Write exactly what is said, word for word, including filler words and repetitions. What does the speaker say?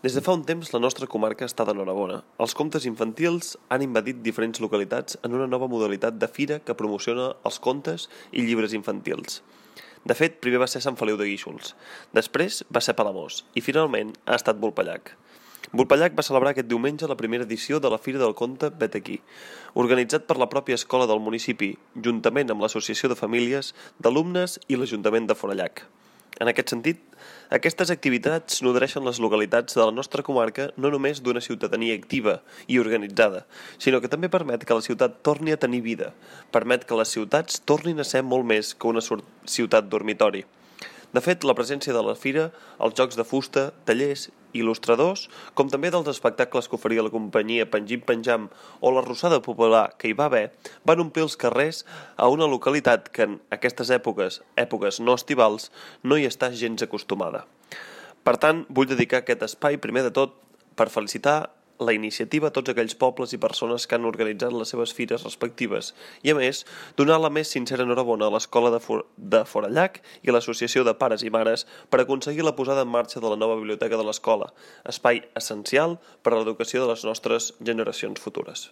Des de fa un temps la nostra comarca està d'enhorabona. Els contes infantils han invadit diferents localitats en una nova modalitat de fira que promociona els contes i llibres infantils. De fet, primer va ser Sant Feliu de Guíxols, després va ser Palamós i finalment ha estat Vulpellac. Vulpellac va celebrar aquest diumenge la primera edició de la Fira del Conte Vet aquí, organitzat per la pròpia escola del municipi, juntament amb l'Associació de Famílies d'Alumnes i l'Ajuntament de Forallac. En aquest sentit, aquestes activitats nodreixen les localitats de la nostra comarca no només d'una ciutadania activa i organitzada, sinó que també permet que la ciutat torni a tenir vida, permet que les ciutats tornin a ser molt més que una ciutat dormitori. De fet, la presència de la fira, els jocs de fusta, tallers, il·lustradors, com també dels espectacles que oferia la companyia Pengim Penjam o la Rossada Popular que hi va haver, van omplir els carrers a una localitat que en aquestes èpoques, èpoques no estivals, no hi està gens acostumada. Per tant, vull dedicar aquest espai, primer de tot, per felicitar la iniciativa a tots aquells pobles i persones que han organitzat les seves fires respectives i, a més, donar la més sincera enhorabona a l'Escola de, For de Forallac i a l'Associació de Pares i Mares per aconseguir la posada en marxa de la nova biblioteca de l'escola, espai essencial per a l'educació de les nostres generacions futures.